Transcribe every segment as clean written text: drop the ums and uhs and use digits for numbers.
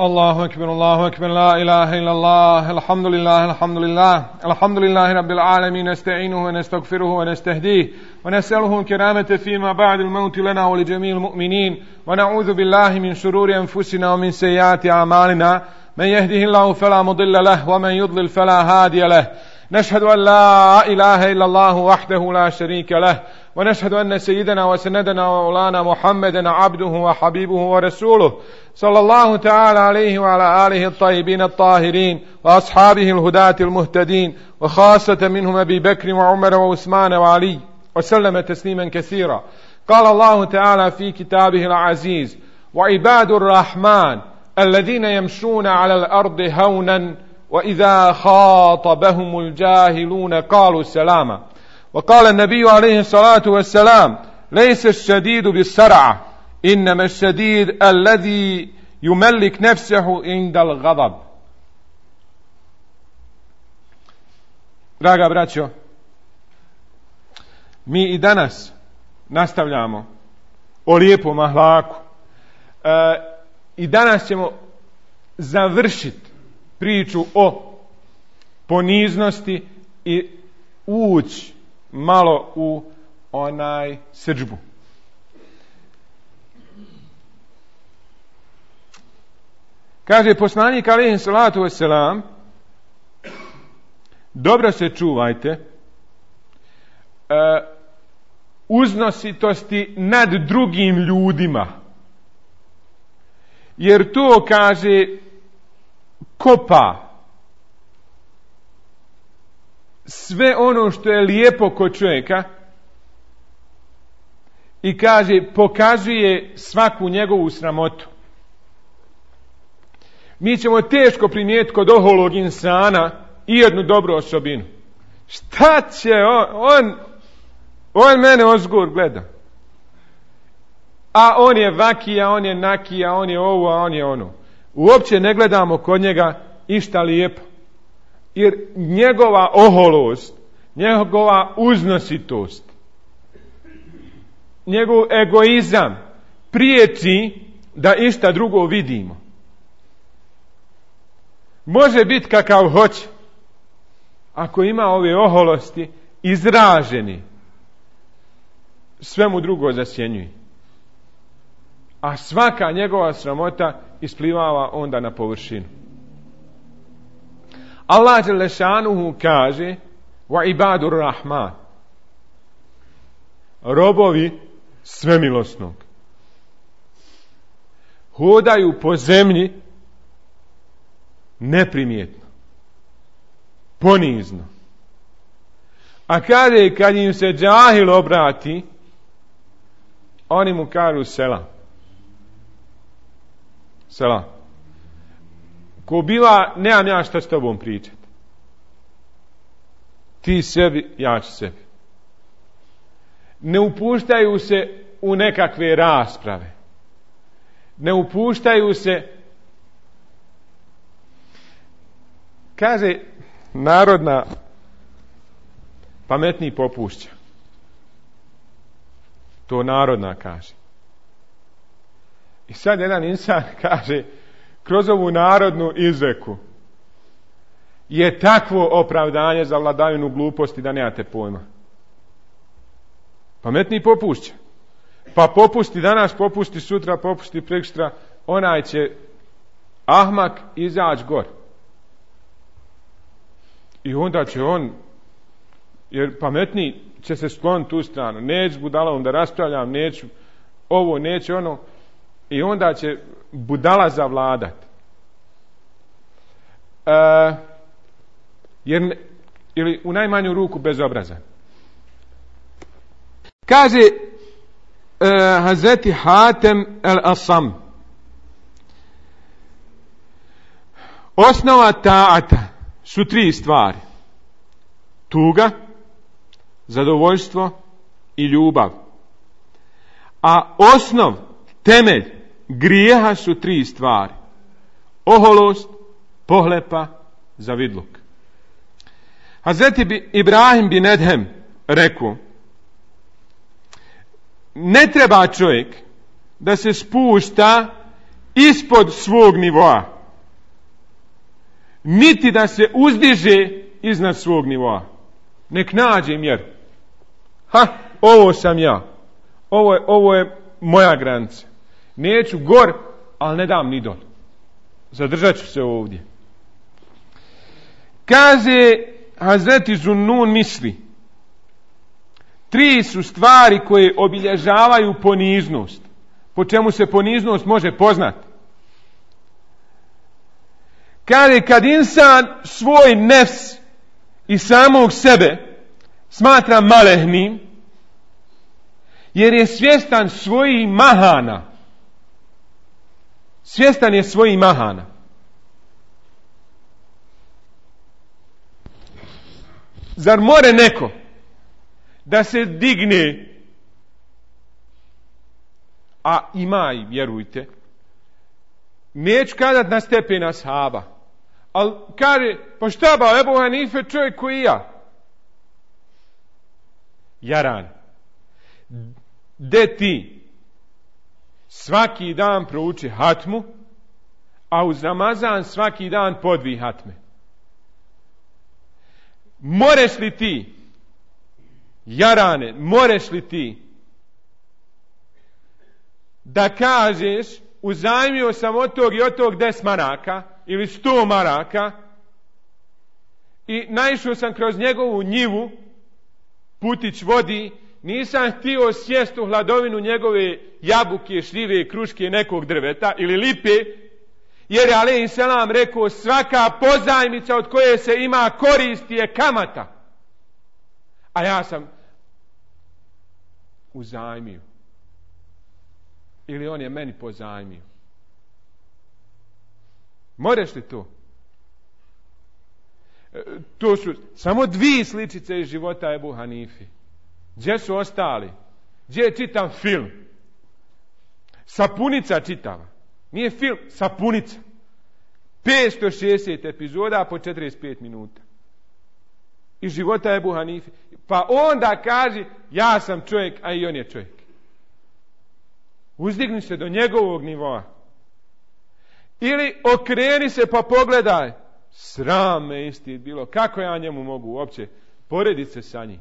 الله أكبر لا إله إلا الله الحمد لله رب العالمين نستعينه ونستغفره ونستهديه ونسأله الكرامة فيما بعد الموت لنا ولجميع المؤمنين ونعوذ بالله من شرور أنفسنا ومن سيئات أعمالنا من يهده الله فلا مضل له ومن يضلل فلا هادي له نشهد أن لا إله إلا الله وحده لا شريك له ونشهد أن سيدنا وسندنا ومولانا محمدا عبده وحبيبه ورسوله صلى الله تعالى عليه وعلى آله الطيبين الطاهرين وأصحابه الهداة المهتدين وخاصة منهم أبي بكر وعمر وعثمان وعلي وسلم تسليما كثيرا. قال الله تعالى في كتابه العزيز: وعباد الرحمن الذين يمشون على الأرض هونا وإذا خاطبهم الجاهلون قالوا سلاما. وقال النبي عليه الصلاة والسلام: ليس الشديد بالسرعة إنما الشديد الذي يملك نفسه عند الغضب. Draga braćo, mi i danas nastavljamo o lijepom ahlaku. I danas ćemo završiti priču o poniznosti i ući malo u onaj srdžbu. Kaže poslanik alejhi salatu vesselam: dobro se čuvajte uznositosti nad drugim ljudima, jer to, kaže, kopa sve ono što je lijepo kod čovjeka i, kaže, pokazuje svaku njegovu sramotu. Mi ćemo teško primijetiti kod oholog insana i jednu dobru osobinu. Šta će on mene ozgur gleda. A on je vakija, on je nakija, on je ovo, a on je ono. Uopće ne gledamo kod njega išta lijepo. Jer njegova oholost, njegova uznositost, njegov egoizam priječi da išta drugo vidimo. Može biti kakav hoće, ako ima ove oholosti izraženi, sve mu drugo zasjenjuje. A svaka njegova sramota isplivava onda na površinu. Allah dželle šanuhu kaže: wa ibadur rahman, robovi svemilosnog, hodaju po zemlji neprimjetno, ponizno. A kad im se džahil obrati, oni mu kažu selam. Selam. Ko bila, nemam ja šta s tobom pričati. Ti sebi, ja ću sebi. Ne upuštaju se u nekakve rasprave. Ne upuštaju se, kaže narodna, pametniji popušća. To narodna kaže. I sad jedan insan kaže, kroz ovu narodnu izreku je takvo opravdanje za vladavinu gluposti da nemate pojma. Pametniji popušća. Pa popusti danas, popusti sutra, popusti prekstra, onaj će ahmak izaći gor. I onda će on, jer pametniji će se skloniti tu stranu, neću budalom da raspravljam, neću ovo, neću ono, i onda će budala zavladat. Ili u najmanju ruku bezobrazan. Kaže Hazreti Hatem el-Asam: osnova ta'ata su 3 stvari: tuga, zadovoljstvo i ljubav. A osnov, temelj grijeha su 3 stvari: oholost, pohlepa, zavidluk. Hazreti Ibrahim bin Edhem rekao: ne treba čovjek da se spušta ispod svog nivoa, niti da se uzdiže iznad svog nivoa. Nek nađe mjeru. Ovo sam ja. Ovo je moja granica. Neću gor, ali ne dam ni dol. Zadržat ću se ovdje. Kaže Hazreti Zunnun misli, 3 su stvari koje obilježavaju poniznost. Po čemu se poniznost može poznati? Kaže, kad insan svoj nefs i samog sebe smatra malehnim, jer je svjestan svojih mahana. Svjestan je svojih mahana. Zar more neko da se digne, a ima i, vjerujte, neću kazat na stepen ashaba, ali kaže, pa šta ba, Ebu Hanife čovjek koji ja? Jaran. De ti svaki dan prouči hatmu, a uz Ramazan svaki dan po 2 hatme. Moreš li ti, Jarane, moreš li ti da kažeš uzajmio sam od tog i od tog 10 maraka ili 100 maraka i naišao sam kroz njegovu njivu, putić vodi, nisam htio sjest u hladovinu njegove jabuke, šljive, kruške, nekog drveta ili lipe, jer je alejhi selam rekao, svaka pozajmica od koje se ima koristi je kamata. A ja sam uzajmio. Ili on je meni pozajmio. Moreš li to? To su samo 2 sličice iz života Ebu Hanifi. Gdje su ostali? Gdje je čitam film? Sapunica čitava. Nije film, sapunica. 560 epizoda po 45 minuta. Iz života Ebu Hanifi. Pa onda kaži, ja sam čovjek, a i on je čovjek. Uzdigni se do njegovog nivoa. Ili okreni se pa pogledaj. Sram me isti bilo. Kako ja njemu mogu uopće porediti se sa njim?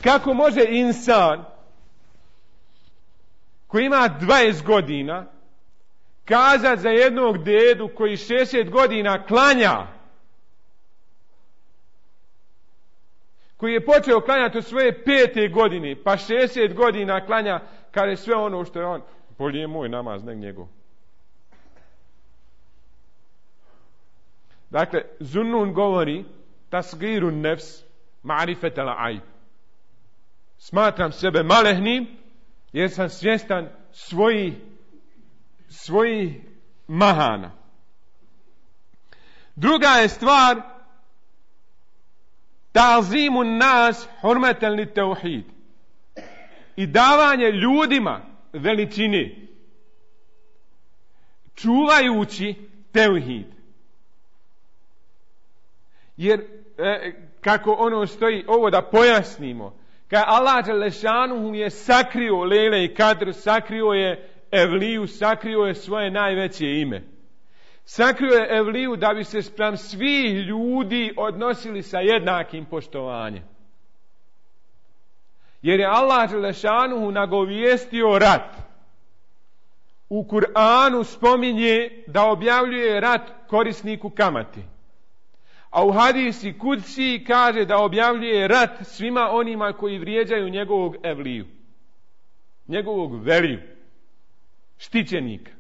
Kako može insan koji ima 20 godina kazat za jednog dedu koji 60 godina klanja, koji je počeo klanjati od svoje 5. godine, pa 60 godina klanja, kada je sve ono što je on, bolje je moj namaz, nek njegov. Dakle, Zunnun govori tasgirun nefs ma'rifetel aib. Smatram sebe malehnim jer sam svjestan svojih mahana. Druga je stvar ta'zimun nas hurmatan lit tauhid. I davanje ljudima veličine čuvajući tauhid. Jer kako ono stoji, ovo da pojasnimo, kad Allah dželešanuhu je sakrio Lejle i Kadr, sakrio je Evliju, sakrio je svoje najveće ime. Sakrio je Evliju da bi se spram svih ljudi odnosili sa jednakim poštovanjem. Jer je Allah dželešanuhu nagovijestio rat. U Kur'anu spominje da objavljuje rat korisniku kamati. A u hadisi Kudsi kaže da objavljuje rat svima onima koji vrijeđaju njegovog Evliju. Njegovog veliju. Štićenika.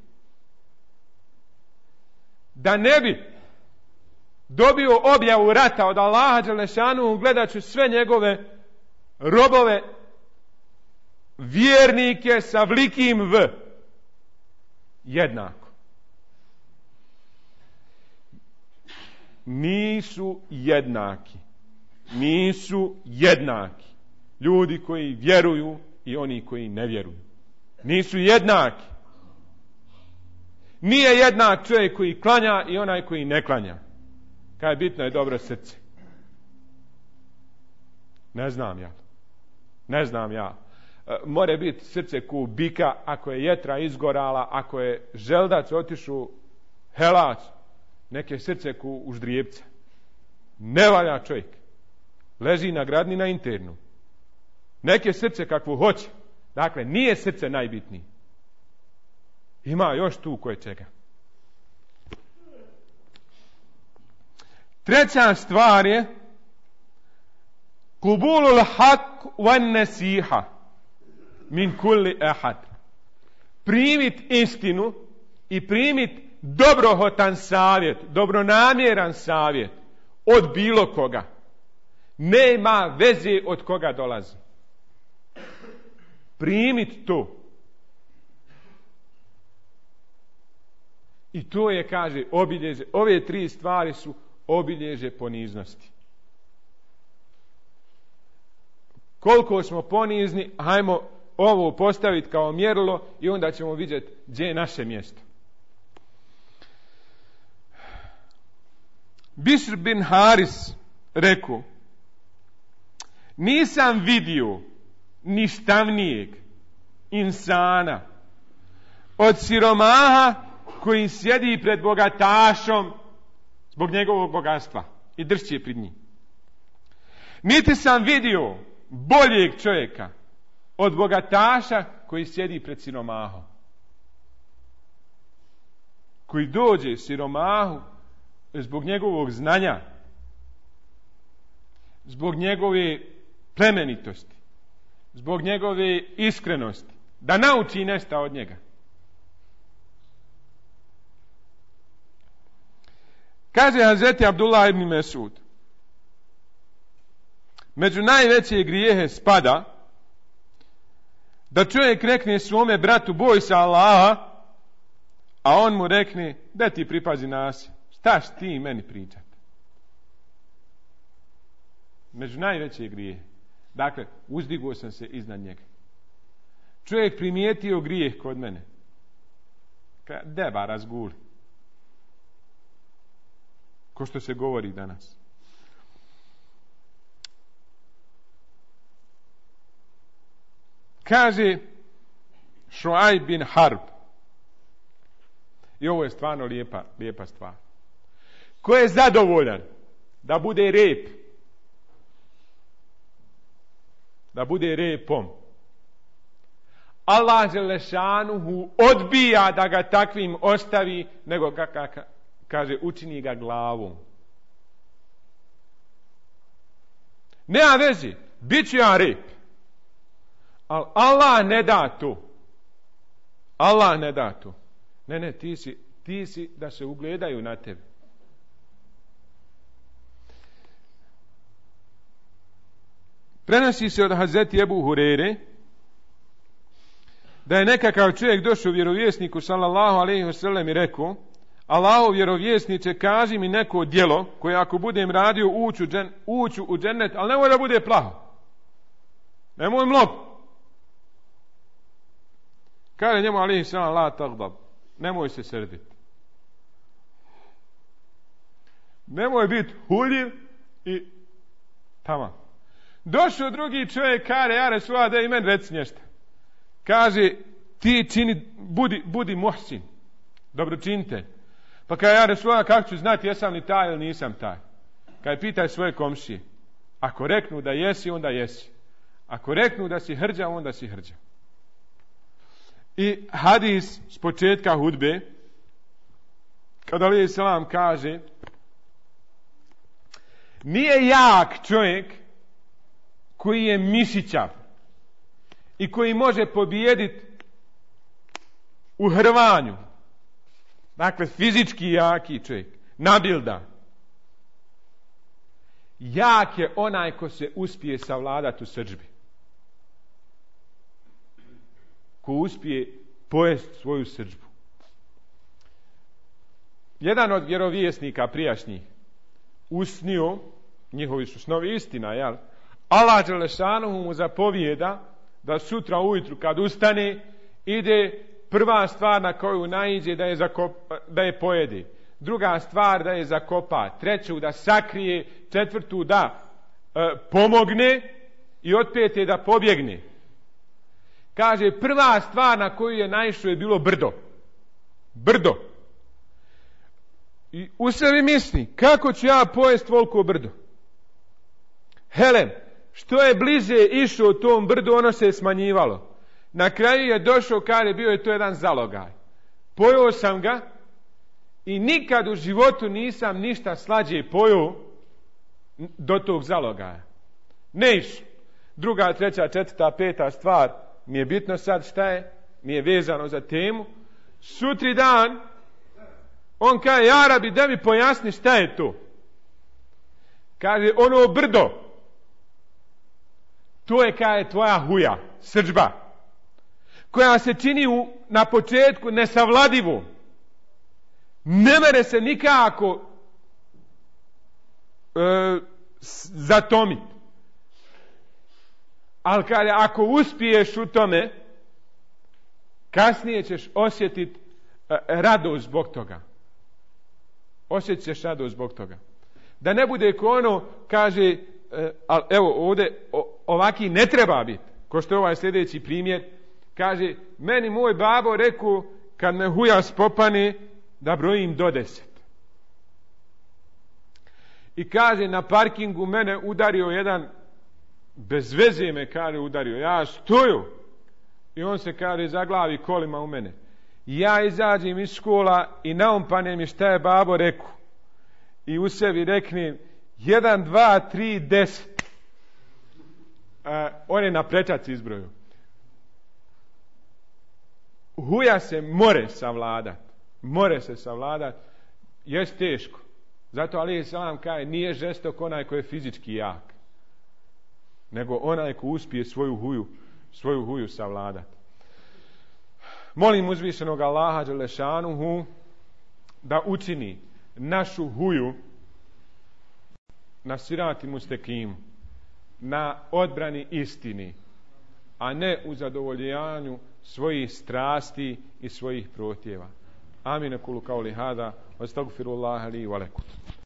Da ne bi dobio objavu rata od Allaha dželešanu, gledat ću sve njegove robove, vjernike sa velikim V. Jednako. Nisu jednaki. Nisu jednaki. Ljudi koji vjeruju i oni koji ne vjeruju. Nisu jednaki. Nije jednak čovjek koji klanja i onaj koji ne klanja. Kaj bitno je dobro srce. Ne znam ja. more biti srce ku bika, ako je jetra izgorala, ako je želdac otišao helac, neke srce ku uždrijepca. Ne valja čovjek. Leži na gradni na internu. Neke srce kakvu hoće. Dakle, nije srce najbitnije. Ima još tu koje čega. Treća stvar je kubulul hak wan nasiha min kulli ahad. Primit istinu i primit dobrohotan savjet, dobronamjeran savjet od bilo koga. Nema veze od koga dolazi. Primit to. I to je, kaže, obilježje. Ove tri stvari su obilježje poniznosti. Koliko smo ponizni, hajmo ovo postaviti kao mjerilo i onda ćemo vidjeti gdje je naše mjesto. Bišr bin Haris rekao: nisam vidio ništavnijeg insana od siromaha koji sjedi pred bogatašom zbog njegovog bogatstva i dršće pred njim. Niti sam vidio boljeg čovjeka od bogataša koji sjedi pred siromahom. Koji dođe siromahu zbog njegovog znanja, zbog njegove plemenitosti, zbog njegove iskrenosti, da nauči nešto od njega. Kaže Hazreti Abdullah ibn Mesud: među najveće grijehe spada da čovjek rekne svome bratu boj se Allaha, a on mu rekne da ti pripazi nas, šta ti meni pričat. Među najveće grijehe. Dakle, uzdigao sam se iznad njega. Čovjek primijetio grijeh kod mene. Deba razguli. Ko što se govori danas. Kaže Šuajb bin Harb, i ovo je stvarno lijepa stvar, ko je zadovoljan da bude rep, da bude repom, Allah dželešanuhu odbija da ga takvim ostavi, nego kaže učini ga glavom. Nema veze, bit ću ja rep. Ali Allah ne da to. Allah ne da to. Ne, ti si da se ugledaju na tebe. Prenosi se od Hazreti Ebu Hurere da je nekakav čovjek došao vjerovjesniku sallallahu alejhi ve sellem i rekao: Allahov vjerovjesniče, kaži mi neko djelo koje ako budem radio uću u džennet, ali nemoj da bude plaho. Nemoj mnogo. Kaže njemu alejhi selam: la tagdab, nemoj se srditi. Nemoj biti huljiv i tamam. Došao drugi čovjek, kaže: ja Resulullah, da i meni reci nešto. Kaže: ti čini, budi muhsin, dobročinitelj. Pa kaže: ja Resulullah, kako ću znati jesam li taj ili nisam taj? Kaže: pitaj svoje komšije. Ako reknu da jesi, onda jesi. Ako reknu da si hrđa, onda si hrđa. I hadis s početka hudbe, kada alejhi selam kaže: nije jak čovjek koji je mišićav i koji može pobijediti u hrvanju. Dakle, fizički jaki čovjek, nabildan. Jak je onaj ko se uspije savladati u srdžbi. Ko uspije pojesti svoju srdžbu. Jedan od vjerovjesnika prijašnjih usnio, njihovi su snovi istina, jel? Allah dželešanuhu mu zapovijeda da sutra ujutru kad ustane ide prva stvar na koju naiđe da je pojede, druga stvar da je zakopa, treću da sakrije, četvrtu da pomogne i od pete da pobjegne. Kaže, prva stvar na koju je naišao je bilo brdo. Brdo. I u sebi misli, kako ću ja pojest toliko brdo? Helen, što je bliže išao tom brdu, ono se je smanjivalo. Na kraju je došao, kaže, bio je to jedan zalogaj. Pojeo sam ga i nikad u životu nisam ništa slađe pojeo do tog zalogaja. Ne išao. Druga, treća, četvrta, peta stvar, mi je bitno sad šta je, mi je vezano za temu. Sutri dan, on kaže, ja Rabi, da mi pojasni šta je to. Kaže, ono brdo, to je, kaže, tvoja huja, srdžba, koja se čini na početku nesavladivu. Ne mere se nikako zatomiti. Ali kaže, ako uspiješ u tome, kasnije ćeš osjetiti radost zbog toga. Osjetit ćeš radost zbog toga. Da ne bude ko ono, kaže, ali evo ovdje ovaki ne treba biti. Ko što je ovaj sljedeći primjer, kaže, meni moj babo rekao, kad me huja spopane, da brojim do 10. I kaže, na parkingu mene udario jedan, bez veze me, kaže, udario. Ja stoju i on se, kaže, zaglavi kolima u mene. Ja izađem iz škola i naumpane mi šta je babo rekao. I u sebi reknem 1, 2, 3, 10. On je na prečac izbrojio. Huja se more savladat. More se savladat. Jest teško. Zato alejhi selam kaže, nije žestok onaj koji je fizički jak, nego onaj ko uspije svoju huju savladati. Molim uzvišenog Allaha dželešanuhu da učini našu huju na sirati mustekimu, na odbrani istini, a ne u zadovoljavanju svojih strasti i svojih protjeva. Amin, kulu kauli hada, astagfirullaha li wa lakum.